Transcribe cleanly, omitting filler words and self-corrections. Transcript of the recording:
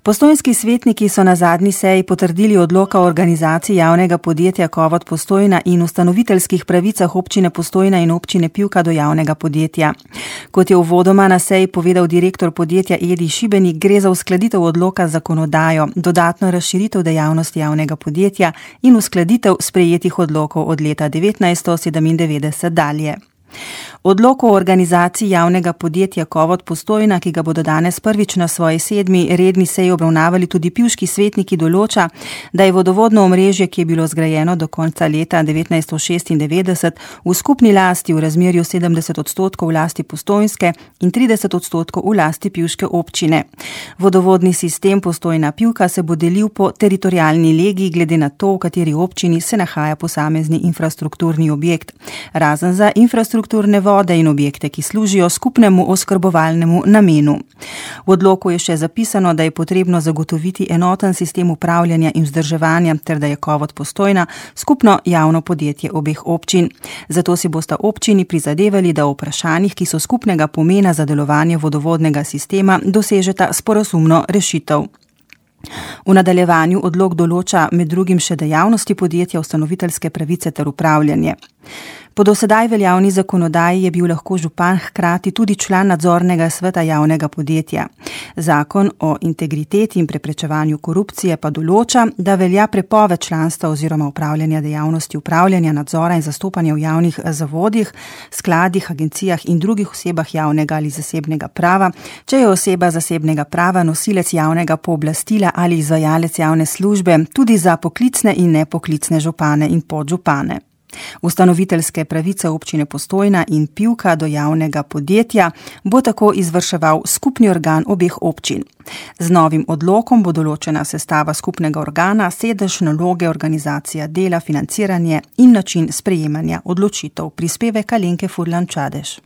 Postojnski svetniki so na zadnji seji potrdili odlok o organizaciji javnega podjetja Kovod Postojna in ustanoviteljskih pravicah občine Postojna in občine Pivka do javnega podjetja. Kot je uvodoma na seji povedal direktor podjetja Edi Šibenik, gre za uskladitev odloka z zakonodajo, dodatno razširitev dejavnosti javnega podjetja in uskladitev sprejetih odlokov od leta 1997 dalje. Odlok o organizaciji javnega podjetja Kovod Postojna, ki ga bodo danes prvič na svoji 7. redni seji obravnavali tudi pivški svetniki, določa, da je vodovodno omrežje, ki je bilo zgrajeno do konca leta 1996, v skupni lasti v razmerju 70% v lasti Postojnske in 30% v lasti pivške občine. Vodovodni sistem Postojna Pivka se bo delil po teritorialni legiji glede na to, v kateri občini se nahaja posamezni infrastrukturni objekt. Razen za infrastrukturne vode in objekte, ki služijo skupnemu oskrbovalnemu namenu. V odloku je še zapisano, da je potrebno zagotoviti enoten sistem upravljanja in vzdrževanja ter da je Kovod Postojna skupno javno podjetje obeh občin. Zato si bosta občini prizadevali, da o vprašanjih, ki so skupnega pomena za delovanje vodovodnega sistema, dosežeta sporazumno rešitev. V nadaljevanju odlok določa med drugim še dejavnosti podjetja, ustanoviteljske pravice ter upravljanje. Po dosedaj veljavni zakonodaji je bil lahko župan hkrati tudi član nadzornega sveta javnega podjetja. Zakon o integriteti in preprečevanju korupcije pa določa, da velja prepoved članstva oziroma upravljanja dejavnosti upravljanja, nadzora in zastopanja v javnih zavodih, skladih, agencijah in drugih osebah javnega ali zasebnega prava, če je oseba zasebnega prava nosilec javnega pooblastila ali izvajalec javne službe, tudi za poklicne in nepoklicne župane in podžupane. Ustanoviteljske pravice občine Postojna in Pivka do javnega podjetja bo tako izvrševal skupni organ obeh občin. Z novim odlokom bo določena sestava skupnega organa, sedež, naloge, organizacija dela, financiranje in način sprejemanja odločitev. Prispevek Alenke Furlan Čadež.